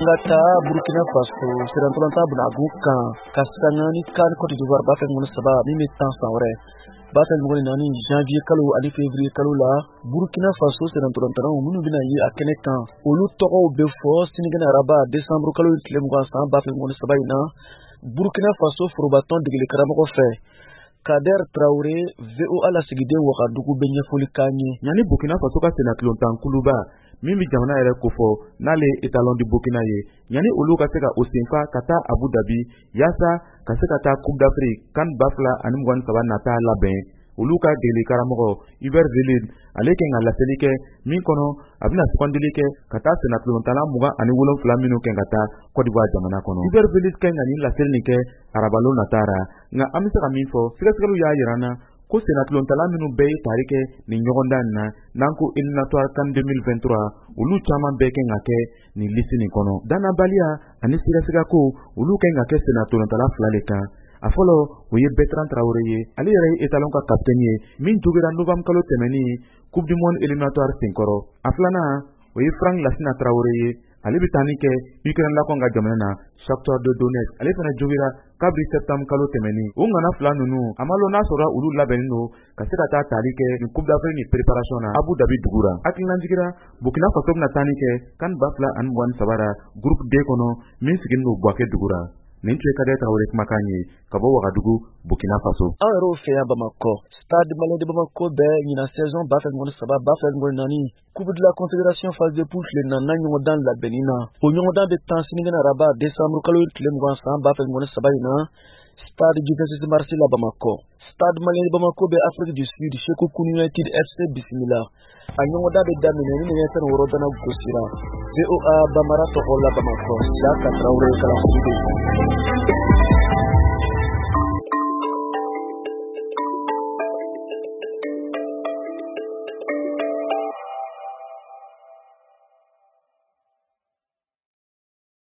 Ka taa Burkina Faso sirantɔlɔntan bunagun kan ka sanga ni CAN Côte d'Ivoire 2023 min bɛ tan san wɛrɛ 2024 janvier kalo ani février kalo la. Burkina Faso sirantɔlɔntannaw minnu bɛna ye a kɛnɛ kan, olu tɔgɔw bɛ fɔ sinikɛnɛ araba décembre kalo tile 20 san 2023 in na, Burkina Faso forobatɔn degeli karamɔgɔ fɛ. Kader Traoré, VOA lasigiden Wagadugu, bɛ ɲɛfɔli k'an ye. Yanni Burkina Faso ka sennatulontan kuluba min bɛ jamana yɛrɛ kofɔ, n'ale ye Étalon du Burkina ye, yanni olu ka se ka o senfa ka taa Abu Dhabi yaasa ka se ka taa Coupe d'Afrique CAN 2023 nata labɛn, olu ka degeli karamɔgɔ Hubert Velud, ale kɛ ka laseli kɛ min kɔnɔ, a bɛna sugandili kɛ ka taa sennatulontanna 27 minnu kɛ ka taa Côte d'Ivoire jamana kɔnɔ. Hubert Velud kɛ ka nin laseli nin kɛ arabalon nata ra. Nka an bɛ se ka min fɔ, sɛgɛsɛgɛliw y'a yira an na ko sennatulontala minnu bɛɛ ye tari kɛ nin ɲɔgɔndan in na, n'an ko éliminatoire CAN 2023, olu caman bɛɛ kɛ ka kɛ nin liste nin kɔnɔ. Danabaliya ani sigasigako, olu kɛ ka kɛ sennatulontala fila de kan. A fɔlɔ, o ye Bertrand Traoré ye. Ale yɛrɛ ye Étalon ka capitaine ye min jogira novembre kalo tɛmɛnin Coupe du monde éliminatoire senkɔrɔ. A filanan, o ye Frank Lasina Traoré ye. Ale bɛ taa ni kɛ Ukraine lakɔn ka jamana na, Shakhtar de Donetsk. Ale fana jogira kabiri septembre kalo tɛmɛnin. O ŋana fila ninnu, a ma lɔn n'a sɔrɔ olu labɛnnen don ka se ka taa tali kɛ nin Coupe d'Afrique ni préparation na Abu Dhabi dugu ra. Hakililajigira, Burkina Faso bɛna taa ni kɛ CAN 2023 ra groupe D kɔnɔ min sigilen don Bouaké dugu ra. Nin tun ye Kader Traoré kumakan ye ka bɔ Wagadugu, Burkina Faso. An yɛrɛw fɛ yan Bamakɔ, Stade Malien de Bamako bɛ ɲinan saison 2023 2024 Coupe de la Confédération phase de poule tile naaninan ɲɔgɔndan labɛnni na. O ɲɔgɔndan bɛ tan sinikɛnɛ araba décembre kalo tile 20 san 2023 in na, stade du 26 mars la Bamakɔ. Stade Malien de Bamako bɛ Afrique du Sud Sekhukhune United FC bisimila. A ɲɔgɔndan bɛ daminɛ ni nɛgɛ 16 dana gosira. VOA Bambara tɔgɔ la Bamakɔ, Siaka Traoré, Kalanso.